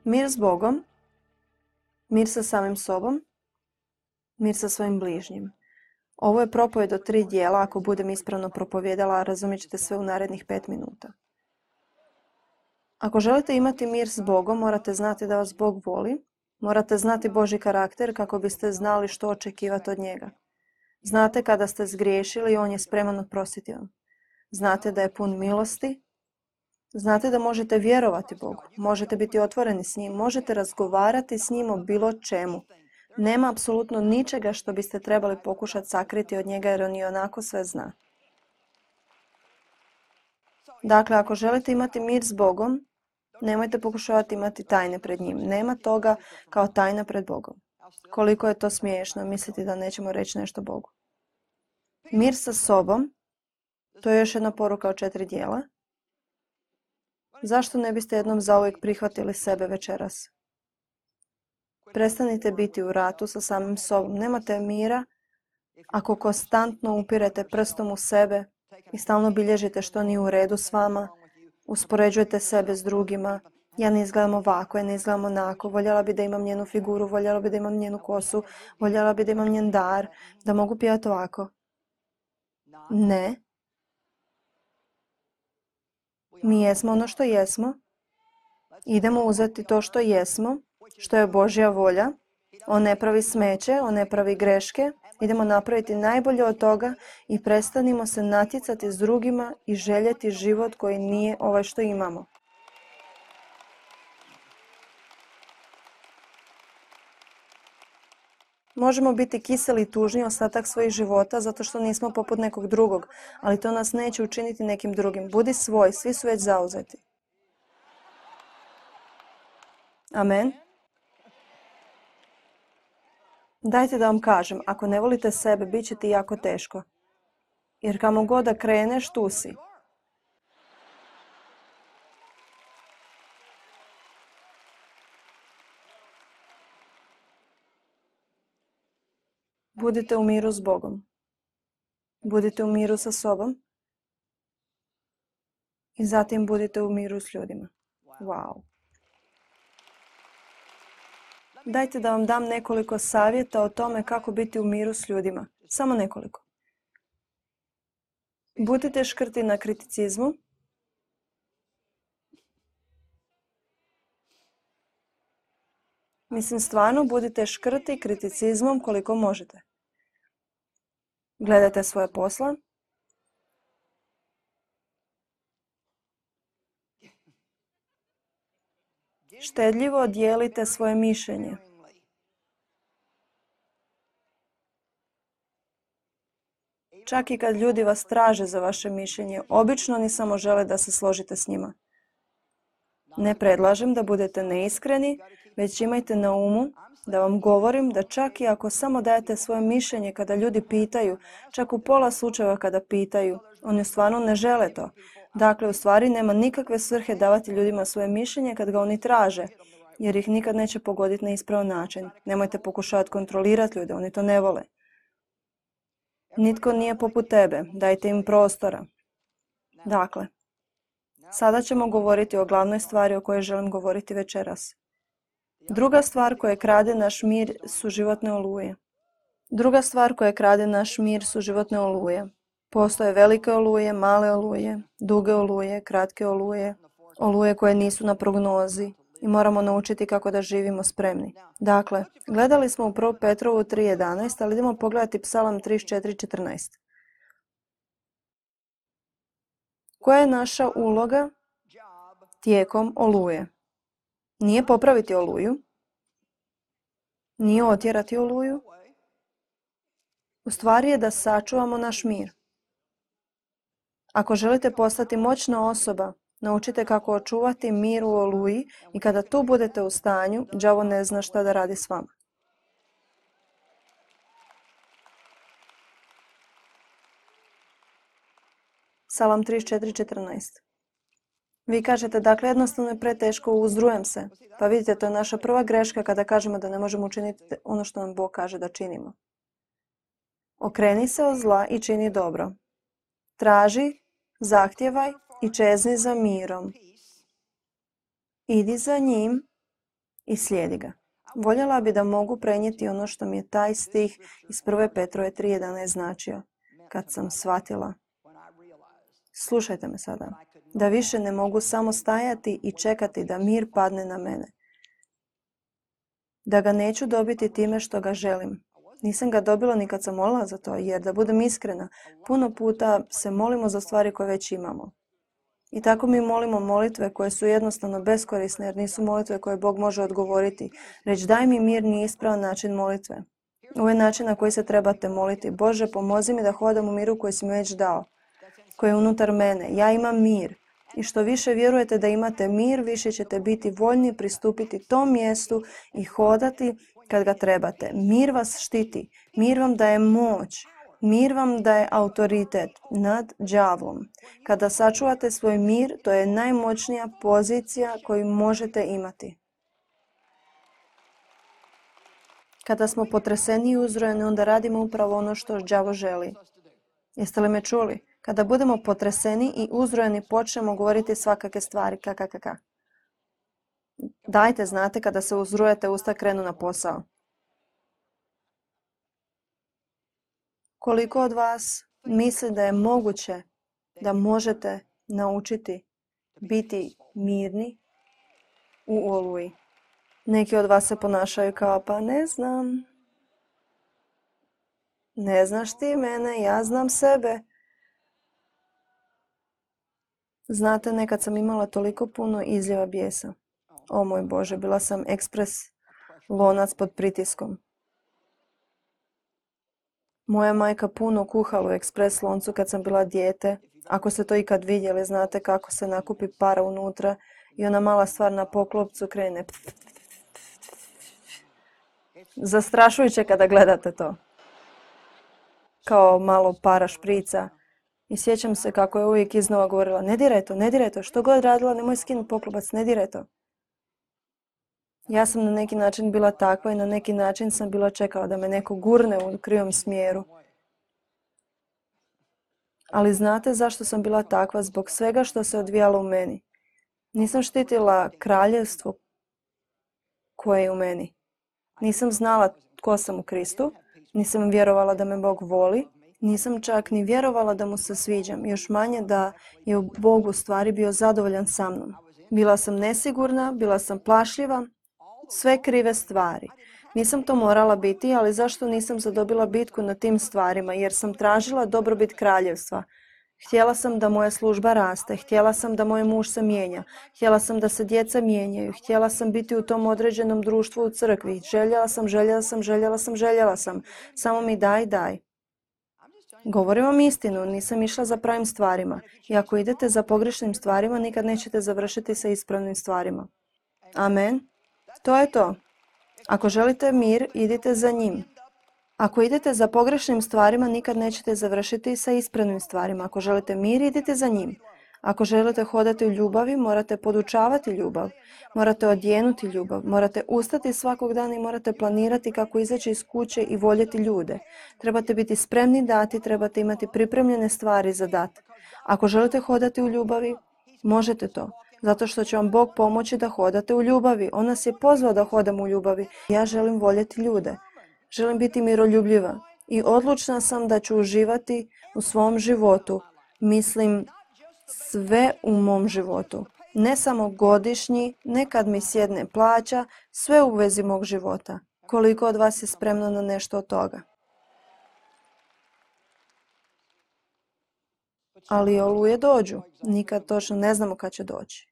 Mir s Bogom, mir sa samim sobom, mir sa svojim bližnjim. Ovo je propovjed od 3 dijela, ako budem ispravno propovjedala, razumjet ćete sve u narednih 5 minuta. Ako želite imati mir s Bogom, morate znati da vas Bog voli, morate znati Božji karakter kako biste znali što očekivati od njega. Znate kada ste zgriješili i on je spreman oprostiti vam. Znate da je pun milosti. Znate da možete vjerovati Bogu. Možete biti otvoreni s njim. Možete razgovarati s njim o bilo čemu. Nema apsolutno ničega što biste trebali pokušati sakriti od njega jer on i onako sve zna. Dakle, ako želite imati mir s Bogom, nemojte pokušavati imati tajne pred njim. Nema toga kao tajna pred Bogom. Koliko je to smiješno misliti da nećemo reći nešto Bogu. Mir sa sobom, to je još jedna poruka od 4 dijela. Zašto ne biste jednom zauvijek prihvatili sebe večeras? Prestanite biti u ratu sa samim sobom. Nemate mira ako konstantno upirete prstom u sebe i stalno bilježite što nije u redu s vama, uspoređujete sebe s drugima. Ja ne izgledam ovako, ja ne izgledam onako, voljela bi da imam njenu figuru, voljela bi da imam njenu kosu, voljela bi da imam njen dar, da mogu pjevati ovako. Ne. Mi jesmo ono što jesmo. Idemo uzeti to što jesmo, što je Božja volja. On ne pravi smeće, on ne pravi greške. Idemo napraviti najbolje od toga i prestanimo se natjecati s drugima i željeti život koji nije ovaj što imamo. Možemo biti kiseli i tužni ostatak svojih života zato što nismo poput nekog drugog, ali to nas neće učiniti nekim drugim. Budi svoj, svi su već zauzeti. Amen. Dajte da vam kažem, ako ne volite sebe, bit će ti jako teško. Jer kamo god da kreneš, tu si. Budite u miru s Bogom. Budite u miru sa sobom. I zatim budite u miru s ljudima. Wow. Dajte da vam dam nekoliko savjeta o tome kako biti u miru s ljudima. Samo nekoliko. Budite škrti na kriticizmu. Mislim, stvarno budite škrti kriticizmom koliko možete. Gledajte svoje posla. Štedljivo dijelite svoje mišljenje. Čak i kad ljudi vas traže za vaše mišljenje, obično oni samo žele da se složite s njima. Ne predlažem da budete neiskreni, već imajte na umu da vam govorim da čak i ako samo dajete svoje mišljenje kada ljudi pitaju, čak u pola slučajeva kada pitaju, oni stvarno ne žele to. Dakle, u stvari nema nikakve svrhe davati ljudima svoje mišljenje kad ga oni traže, jer ih nikad neće pogoditi na ispravan način. Nemojte pokušavati kontrolirati ljude, oni to ne vole. Nitko nije poput tebe, dajte im prostora. Dakle, sada ćemo govoriti o glavnoj stvari o kojoj želim govoriti večeras. Druga stvar koja krade naš mir su životne oluje. Druga stvar koja krade naš mir su životne oluje. Postoje velike oluje, male oluje, duge oluje, kratke oluje, oluje koje nisu na prognozi i moramo naučiti kako da živimo spremni. Dakle, gledali smo u 1. Petrovu 3.11, ali idemo pogledati Psalam 34.14. Koja je naša uloga tijekom oluje? Nije popraviti oluju, nije otjerati oluju. U stvari je da sačuvamo naš mir. Ako želite postati moćna osoba, naučite kako očuvati mir u oluji i kada tu budete u stanju, đavo ne zna šta da radi s vama. Psalam 34.14. Vi kažete, dakle, jednostavno je preteško, uzrujem se. Pa vidite, to je naša prva greška kada kažemo da ne možemo učiniti ono što nam Bog kaže da činimo. Okreni se od zla i čini dobro. Traži, zahtijevaj i čezni za mirom. Idi za njim i slijedi ga. Voljela bi da mogu prenijeti ono što mi je taj stih iz 1. Petrove 3.11 značio. Kad sam shvatila, slušajte me sada, da više ne mogu samo stajati i čekati da mir padne na mene. Da ga neću dobiti time što ga želim. Nisam ga dobila ni kad sam molila za to, jer da budem iskrena, puno puta se molimo za stvari koje već imamo. I tako mi molimo molitve koje su jednostavno beskorisne, jer nisu molitve koje Bog može odgovoriti. Reći daj mi mir nije ispravan način molitve. Ovo je način na koji se trebate moliti. Bože, pomozi mi da hodam u miru koji si mi već dao, koji je unutar mene. Ja imam mir. I što više vjerujete da imate mir, više ćete biti voljni pristupiti tom mjestu i hodati kad ga trebate. Mir vas štiti. Mir vam daje moć. Mir vam daje autoritet nad đavlom. Kada sačuvate svoj mir, to je najmoćnija pozicija koju možete imati. Kada smo potreseni i uzrojeni, onda radimo upravo ono što đavo želi. Jeste li me čuli? Kada budemo potreseni i uzrojeni, počnemo govoriti svakakve stvari. Dajte, znate, kada se uzrujete, usta krenu na posao. Koliko od vas misli da je moguće da možete naučiti biti mirni u oluji? Neki od vas se ponašaju kao pa ne znam. Ne znaš ti mene, ja znam sebe. Znate, nekad sam imala toliko puno izljeva bijesa. O moj Bože, bila sam ekspres lonac pod pritiskom. Moja majka puno kuhala u ekspres loncu kad sam bila dijete. Ako ste to ikad vidjeli, znate kako se nakupi para unutra i ona mala stvar na poklopcu krene. Zastrašujuće kada gledate to. Kao malo para šprica. I sjećam se kako je uvijek iznova govorila, ne diraj to, što god radila, nemoj skinuti poklopac, ne diraj to. Ja sam na neki način bila takva i na neki način sam bila čekala da me neko gurne u krivom smjeru. Ali znate zašto sam bila takva? Zbog svega što se odvijalo u meni. Nisam štitila kraljevstvo koje je u meni. Nisam znala tko sam u Kristu, nisam vjerovala da me Bog voli, nisam čak ni vjerovala da mu se sviđam, još manje da je u Bogu stvari bio zadovoljan sa mnom. Bila sam nesigurna, bila sam plašljiva, sve krive stvari. Nisam to morala biti, ali zašto nisam zadobila bitku na tim stvarima? Jer sam tražila dobrobit kraljevstva. Htjela sam da moja služba raste, htjela sam da moj muž se mijenja, htjela sam da se djeca mijenjaju, htjela sam biti u tom određenom društvu u crkvi. Željela sam. Samo mi daj. Govorim vam istinu, nisam išla za pravim stvarima. I ako idete za pogrešnim stvarima, nikad nećete završiti sa ispravnim stvarima. Amen. To je to. Ako želite mir, idite za njim. Ako idete za pogrešnim stvarima, nikad nećete završiti sa ispravnim stvarima. Ako želite mir, idite za njim. Ako želite hodati u ljubavi, morate podučavati ljubav. Morate odjenuti ljubav. Morate ustati svakog dana i morate planirati kako izaći iz kuće i voljeti ljude. Trebate biti spremni dati, trebate imati pripremljene stvari za dati. Ako želite hodati u ljubavi, možete to. Zato što će vam Bog pomoći da hodate u ljubavi. On nas je pozvao da hodamo u ljubavi. Ja želim voljeti ljude. Želim biti miroljubljiva. I odlučna sam da ću uživati u svom životu. Mislim, sve u mom životu. Ne samo godišnji, ne kad mi sjedne plaća, sve u vezi mog života. Koliko od vas je spremno na nešto od toga? Ali oluje dođu. Nikad točno ne znamo kad će doći.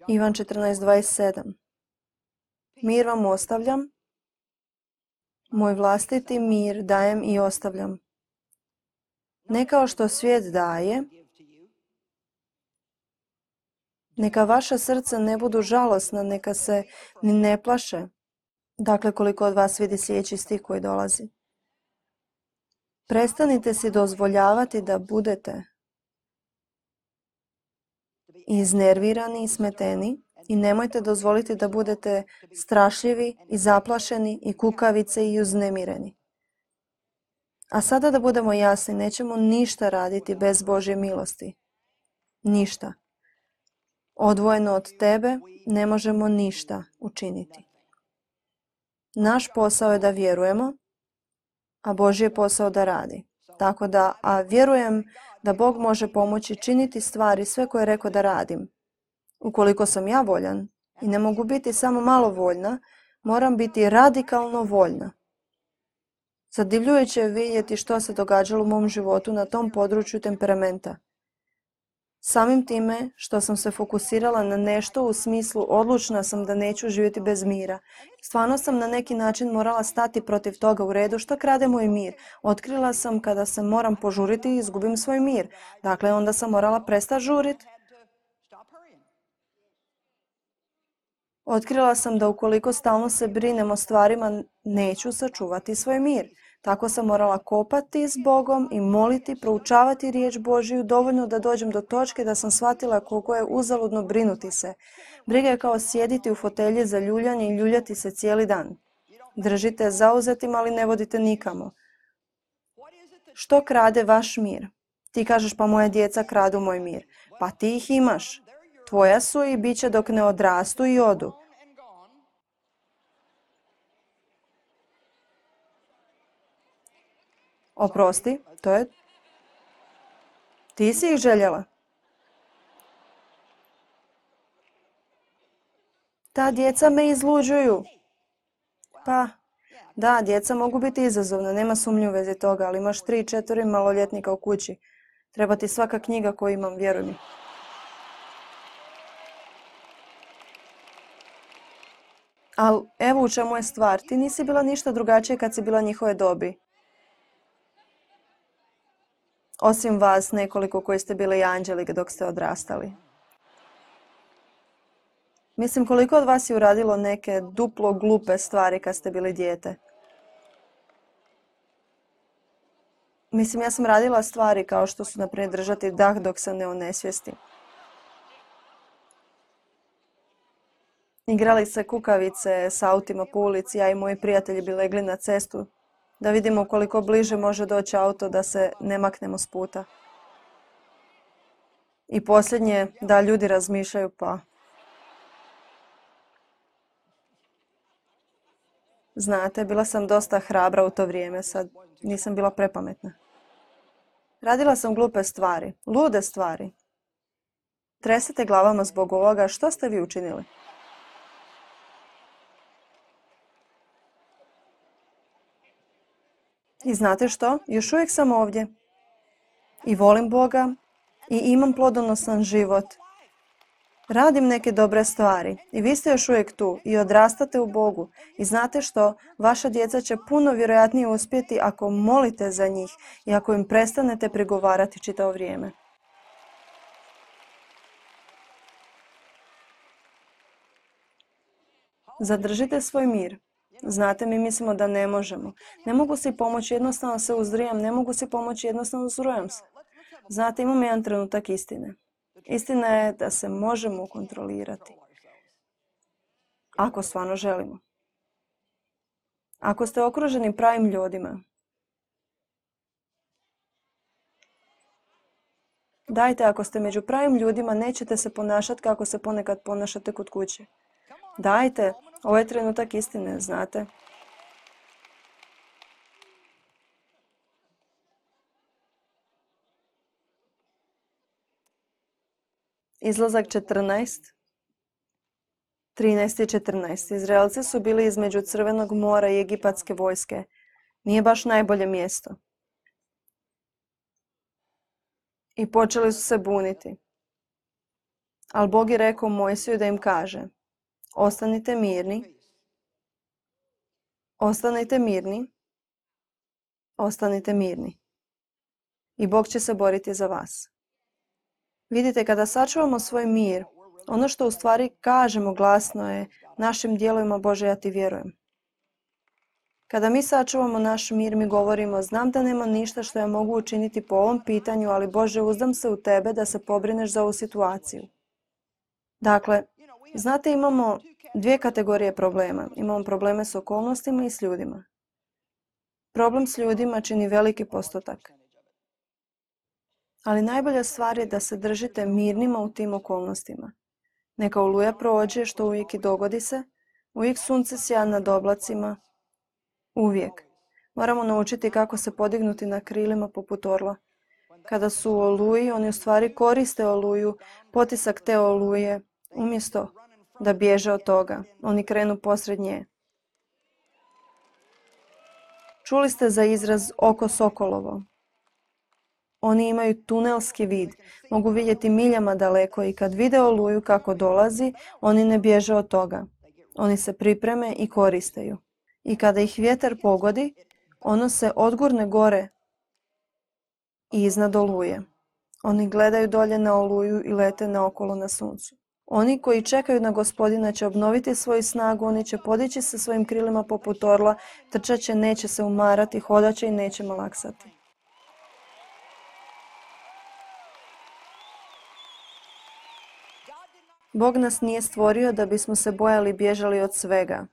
Ivan 14.27. Mir vam ostavljam, moj vlastiti mir dajem i ostavljam. Ne kao što svijet daje, neka vaša srca ne budu žalosna, neka se ni ne plaše. Dakle, koliko od vas vidi sljedeći stih koji dolazi. Prestanite si dozvoljavati da budete iznervirani i smeteni i nemojte dozvoliti da budete strašljivi i zaplašeni i kukavice i uznemireni. A sada da budemo jasni, nećemo ništa raditi bez Božje milosti. Ništa. Odvojeno od tebe ne možemo ništa učiniti. Naš posao je da vjerujemo, a Božji je posao da radi. Tako da, a vjerujem da Bog može pomoći činiti stvari sve koje je rekao da radim. Ukoliko sam ja voljan i ne mogu biti samo malo voljna, moram biti radikalno voljna. Zadivljujuće je vidjeti što se događalo u mom životu na tom području temperamenta. Samim time što sam se fokusirala na nešto u smislu odlučna sam da neću živjeti bez mira. Stvarno sam na neki način morala stati protiv toga. U redu, što krade moj mir? Otkrila sam kada se moram požuriti i izgubim svoj mir. Dakle, onda sam morala prestati žuriti. Otkrila sam da ukoliko stalno se brinem o stvarima, neću sačuvati svoj mir. Tako sam morala kopati s Bogom i moliti, proučavati riječ Božiju dovoljno da dođem do točke da sam shvatila koliko je uzaludno brinuti se. Briga je kao sjediti u fotelji za ljuljanje i ljuljati se cijeli dan. Držite zauzetim, ali ne vodite nikamo. Što krade vaš mir? Ti kažeš, pa moja djeca kradu moj mir. Pa ti ih imaš. Tvoja su i bit će dok ne odrastu i odu. Oprosti, to je... Ti si ih željela. Ta djeca me izluđuju. Pa, da, djeca mogu biti izazovna, nema sumnje u vezi toga, ali imaš 3-4 maloljetnika u kući. Treba ti svaka knjiga koju imam, vjeruj mi. Ali evo u čemu je stvar. Ti nisi bila ništa drugačije kad si bila njihove dobi. Osim vas nekoliko koji ste bili i anđeli dok ste odrastali. Mislim, koliko od vas je uradilo neke duplo glupe stvari kad ste bili dijete? Mislim, ja sam radila stvari kao što su, naprimjer, držati dah dok se ne onesvijesti. Igrali se kukavice s autima po ulici, ja i moji prijatelji bi legli na cestu da vidimo koliko bliže može doći auto da se ne maknemo s puta. I posljednje, da ljudi razmišljaju, pa... Znate, bila sam dosta hrabra u to vrijeme, sad nisam bila prepametna. Radila sam glupe stvari, lude stvari. Tresete glavama zbog ovoga, što ste vi učinili? I znate što? Još uvijek sam ovdje. I volim Boga i imam plodonosan život. Radim neke dobre stvari i vi ste još uvijek tu i odrastate u Bogu. I znate što? Vaša djeca će puno vjerojatnije uspjeti ako molite za njih i ako im prestanete prigovarati čitavo vrijeme. Zadržite svoj mir. Znate, mi mislimo da ne možemo. Ne mogu si pomoći, jednostavno se uzdrijam. Ne mogu si pomoći, jednostavno uzrujam se. Znate, imam jedan trenutak istine. Istina je da se možemo kontrolirati. Ako stvarno želimo. Ako ste okruženi pravim ljudima. Dajte, ako ste među pravim ljudima, nećete se ponašati kako se ponekad ponašate kod kuće. Dajte, ovo je trenutak istine, znate. Izlazak 14, 13 i 14. Izraelci su bili između Crvenog mora i egipatske vojske. Nije baš najbolje mjesto. I počeli su se buniti. Ali Bog je rekao Mojsiju da im kaže: ostanite mirni, ostanite mirni, ostanite mirni. I Bog će se boriti za vas. Vidite, kada sačuvamo svoj mir, ono što u stvari kažemo glasno je našim dijelovima: Bože, ja ti vjerujem. Kada mi sačuvamo naš mir, mi govorimo: znam da nema ništa što ja mogu učiniti po ovom pitanju, ali Bože, uzdam se u tebe da se pobrineš za ovu situaciju. Dakle, znate, imamo dvije kategorije problema. Imamo probleme s okolnostima i s ljudima. Problem s ljudima čini veliki postotak. Ali najbolja stvar je da se držite mirnima u tim okolnostima. Neka oluja prođe, što uvijek i dogodi se. Uvijek sunce sja nad oblacima. Uvijek. Moramo naučiti kako se podignuti na krilima poput orla. Kada su u oluji, oni u stvari koriste oluju, potisak te oluje, umjesto da bježe od toga. Oni krenu posred nje. Čuli ste za izraz oko sokolovo. Oni imaju tunelski vid, mogu vidjeti miljama daleko i kad vide oluju kako dolazi, oni ne bježe od toga. Oni se pripreme i koriste ju. I kada ih vjetar pogodi, ono se odgurne gore i iznad oluje. Oni gledaju dolje na oluju i lete naokolo na suncu. Oni koji čekaju na Gospodina će obnoviti svoju snagu, oni će podići se svojim krilima poput orla, trčat će, neće se umarati, hodat će i neće malaksati. Bog nas nije stvorio da bismo se bojali i bježali od svega.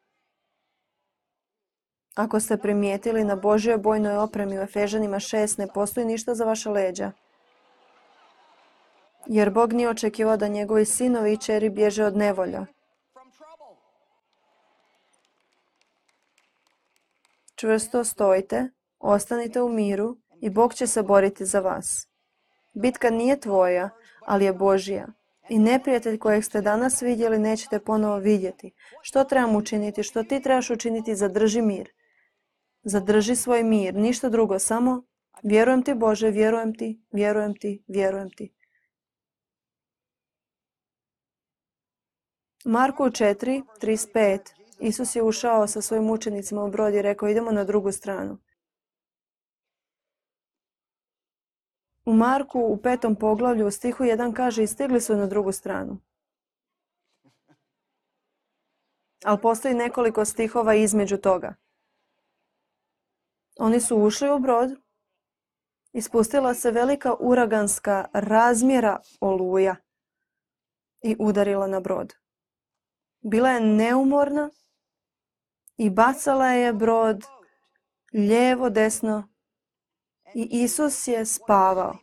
Ako ste primijetili, na Božjoj bojnoj opremi u Efežanima 6 ne postoji ništa za vaša leđa. Jer Bog nije očekivao da njegovi sinovi i kćeri bježe od nevolja. Čvrsto stojite, ostanite u miru i Bog će se boriti za vas. Bitka nije tvoja, ali je Božja. I neprijatelj kojeg ste danas vidjeli nećete ponovo vidjeti. Što trebam učiniti? Što ti trebaš učiniti? Zadrži mir. Zadrži svoj mir, ništa drugo, samo vjerujem ti Bože, vjerujem ti, vjerujem ti, vjerujem ti. Marku 4:35. Isus je ušao sa svojim učenicima u brod i rekao idemo na drugu stranu. U Marku u 5. poglavlju u stihu 1 kaže i stigli su na drugu stranu. Ali postoji nekoliko stihova između toga. Oni su ušli u brod i spustila se velika uraganska razmjera oluja i udarila na brod. Bila je neumorna i bacala je brod lijevo, desno i Isus je spavao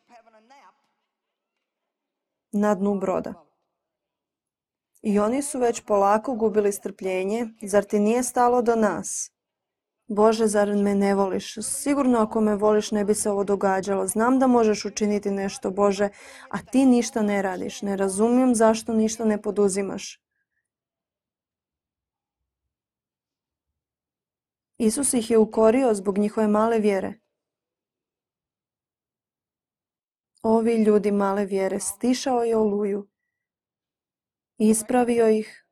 na dnu broda. I oni su već polako gubili strpljenje. Zar ti nije stalo do nas? Bože, zar me ne voliš? Sigurno ako me voliš ne bi se ovo događalo. Znam da možeš učiniti nešto, Bože, a ti ništa ne radiš. Ne razumijem zašto ništa ne poduzimaš. Isus ih je ukorio zbog njihove male vjere. Ovi ljudi male vjere, stišao je oluju, ispravio ih.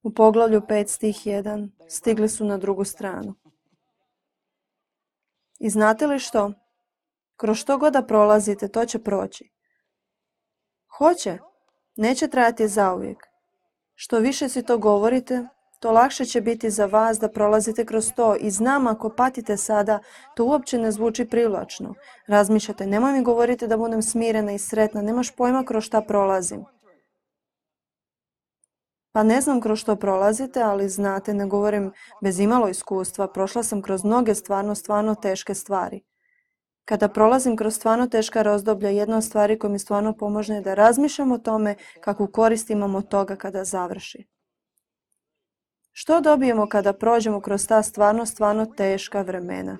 U poglavlju 5 stih 1 stigli su na drugu stranu. I znate li što? Kroz što god da prolazite, to će proći. Hoće, neće trajati zauvijek. Što više si to govorite, to lakše će biti za vas da prolazite kroz to. I znam, ako patite sada, to uopće ne zvuči privlačno. Razmišljate, nemoj mi govoriti da budem smirena i sretna, nemaš pojma kroz šta prolazim. Pa ne znam kroz što prolazite, ali znate, ne govorim bez imalo iskustva, prošla sam kroz mnoge stvarno teške stvari. Kada prolazim kroz stvarno teška razdoblja, jedna od stvari koja mi stvarno pomože je da razmišljam o tome kakvu korist imamo od toga kada završi. Što dobijemo kada prođemo kroz ta stvarno teška vremena?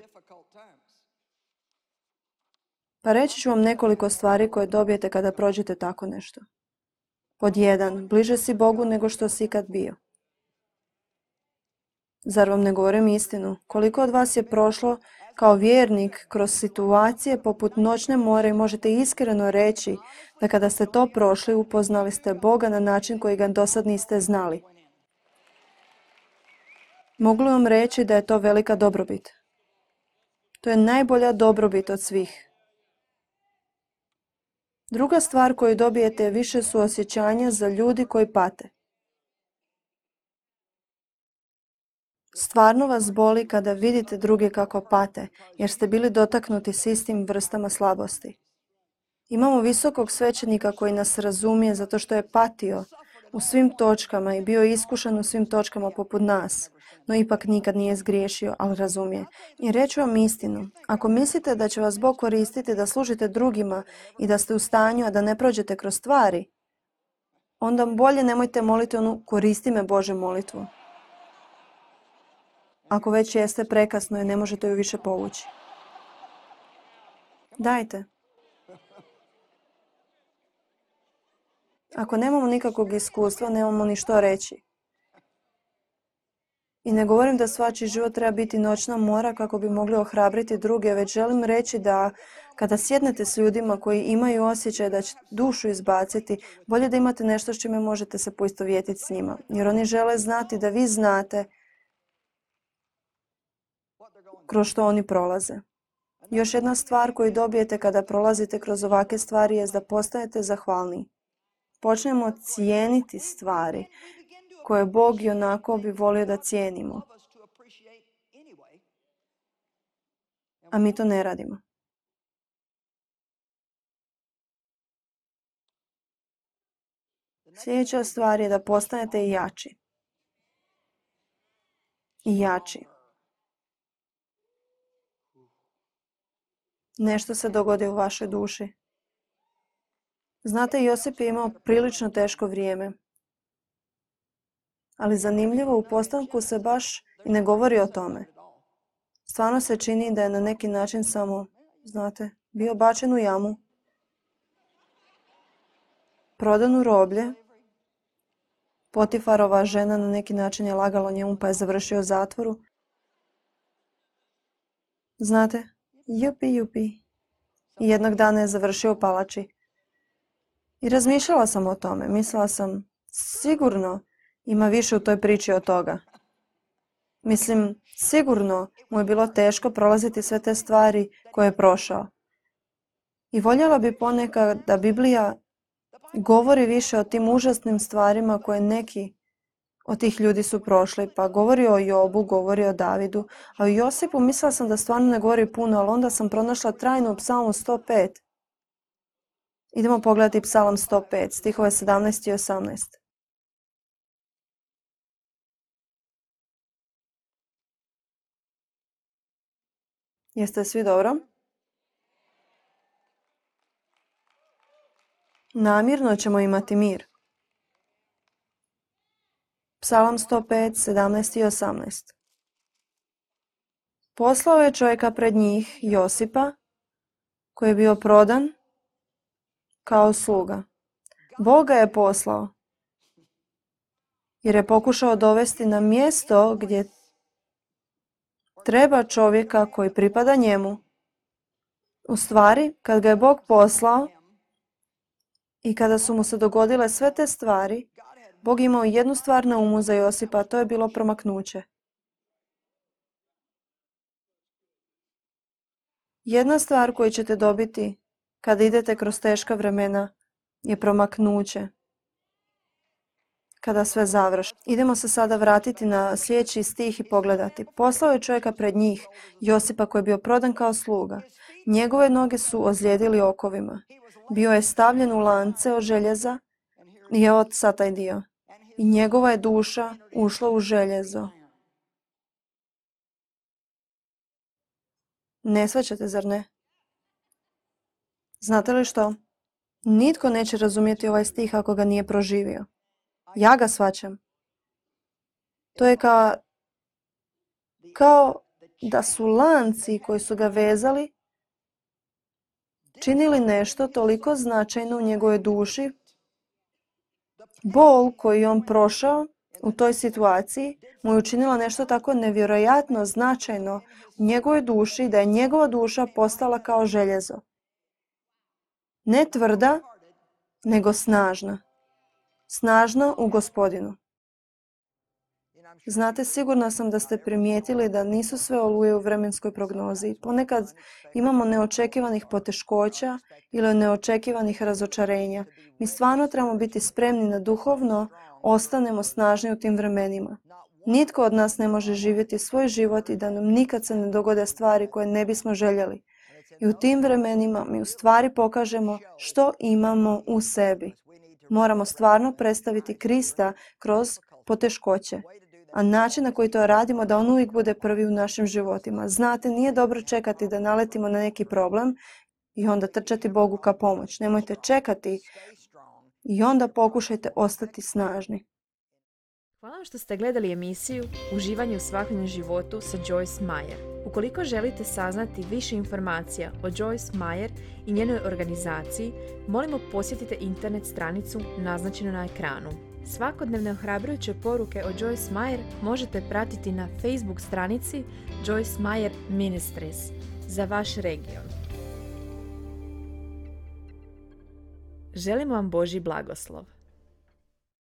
Pa reći ću vam nekoliko stvari koje dobijete kada prođete tako nešto. Pod 1. Bliže si Bogu nego što si ikad bio. Zar vam ne govorim istinu? Koliko od vas je prošlo kao vjernik kroz situacije poput noćne more i možete iskreno reći da kada ste to prošli upoznali ste Boga na način koji ga dosad niste znali. Mogu li vam reći da je to velika dobrobit? To je najbolja dobrobit od svih. Druga stvar koju dobijete je više suosjećanja za ljudi koji pate. Stvarno vas boli kada vidite druge kako pate, jer ste bili dotaknuti s istim vrstama slabosti. Imamo visokog svećenika koji nas razumije zato što je patio u svim točkama i bio iskušan u svim točkama poput nas, no ipak nikad nije zgriješio, ali razumije. I reću vam istinu, ako mislite da će vas Bog koristiti da služite drugima i da ste u stanju, a da ne prođete kroz stvari, onda bolje nemojte moliti onu koristi me Bože molitvu. Ako već jeste, prekasno je, ne možete ju više povući. Dajte. Ako nemamo nikakvog iskustva, nemamo ni što reći. I ne govorim da svačiji život treba biti noćna mora kako bi mogli ohrabriti druge, već želim reći da kada sjednete s ljudima koji imaju osjećaj da će dušu izbaciti, bolje da imate nešto s čime možete se poistovjetiti s njima. Jer oni žele znati da vi znate kroz što oni prolaze. Još jedna stvar koju dobijete kada prolazite kroz ovakve stvari je da postajete zahvalni. Počnemo cijeniti stvari koje Bog i onako bi volio da cijenimo. A mi to ne radimo. Sljedeća stvar je da postanete jači. I jači. Nešto se dogodi u vašoj duši. Znate, Josip je imao prilično teško vrijeme. Ali zanimljivo, u postanku se baš i ne govori o tome. Stvarno se čini da je na neki način samo, znate, bio bačen u jamu, prodan u roblje. Potifarova žena na neki način je lagala njemu pa je završio u zatvoru. Znate, jupi. I jednog dana je završio u palači. I razmišljala sam o tome. Mislila sam, sigurno ima više u toj priči od toga. Mislim, sigurno mu je bilo teško prolaziti sve te stvari koje je prošao. I voljela bi ponekad da Biblija govori više o tim užasnim stvarima koje neki od tih ljudi su prošli. Pa govori o Jobu, govori o Davidu, a o Josipu mislila sam da stvarno ne govori puno, ali onda sam pronašla trajno u Psalmu 105. Idemo pogledati Psalam 105, stihove 17 i 18. Jeste svi dobro? Namirno ćemo imati mir. Psalam 105, 17 i 18. Poslao je čovjeka pred njih, Josipa, koji je bio prodan kao sluga. Bog ga je poslao, jer je pokušao dovesti na mjesto gdje treba čovjeka koji pripada njemu. U stvari, kad ga je Bog poslao i kada su mu se dogodile sve te stvari, Bog je imao jednu stvar na umu za Josipa, a to je bilo promaknuće. Jedna stvar koju ćete dobiti kada idete kroz teška vremena je promaknuće. Kada sve završi. Idemo se sada vratiti na sljedeći stih i pogledati. Poslao je čovjeka pred njih, Josipa koji je bio prodan kao sluga. Njegove noge su ozlijedili okovima. Bio je stavljen u lance od željeza i evo sad taj dio. I njegova je duša ušla u željezo. Ne shvaćate, zar ne? Znate li što? Nitko neće razumjeti ovaj stih ako ga nije proživio. Ja ga shvaćam. To je kao da su lanci koji su ga vezali činili nešto toliko značajno u njegovoj duši. Bol koji je on prošao u toj situaciji mu je učinila nešto tako nevjerojatno značajno u njegovoj duši da je njegova duša postala kao željezo. Ne tvrda, nego snažna. Snažna u Gospodinu. Znate, sigurna sam da ste primijetili da nisu sve oluje u vremenskoj prognozi. Ponekad imamo neočekivanih poteškoća ili neočekivanih razočarenja. Mi stvarno trebamo biti spremni na duhovno ostanemo snažni u tim vremenima. Nitko od nas ne može živjeti svoj život i da nam nikad se ne dogode stvari koje ne bismo željeli. I u tim vremenima mi u stvari pokažemo što imamo u sebi. Moramo stvarno predstaviti Krista kroz poteškoće. A način na koji to radimo da on uvijek bude prvi u našim životima. Znate, nije dobro čekati da naletimo na neki problem i onda trčati Bogu ka pomoć. Nemojte čekati I onda pokušajte ostati snažni. Hvala vam što ste gledali emisiju Uživanje u svakodnevnom životu sa Joyce Meyer. Ukoliko želite saznati više informacija o Joyce Meyer i njenoj organizaciji, molimo posjetite internet stranicu naznačenu na ekranu. Svakodnevne ohrabrujuće poruke o Joyce Meyer možete pratiti na Facebook stranici Joyce Meyer Ministries za vaš region. Želimo vam Božji blagoslov.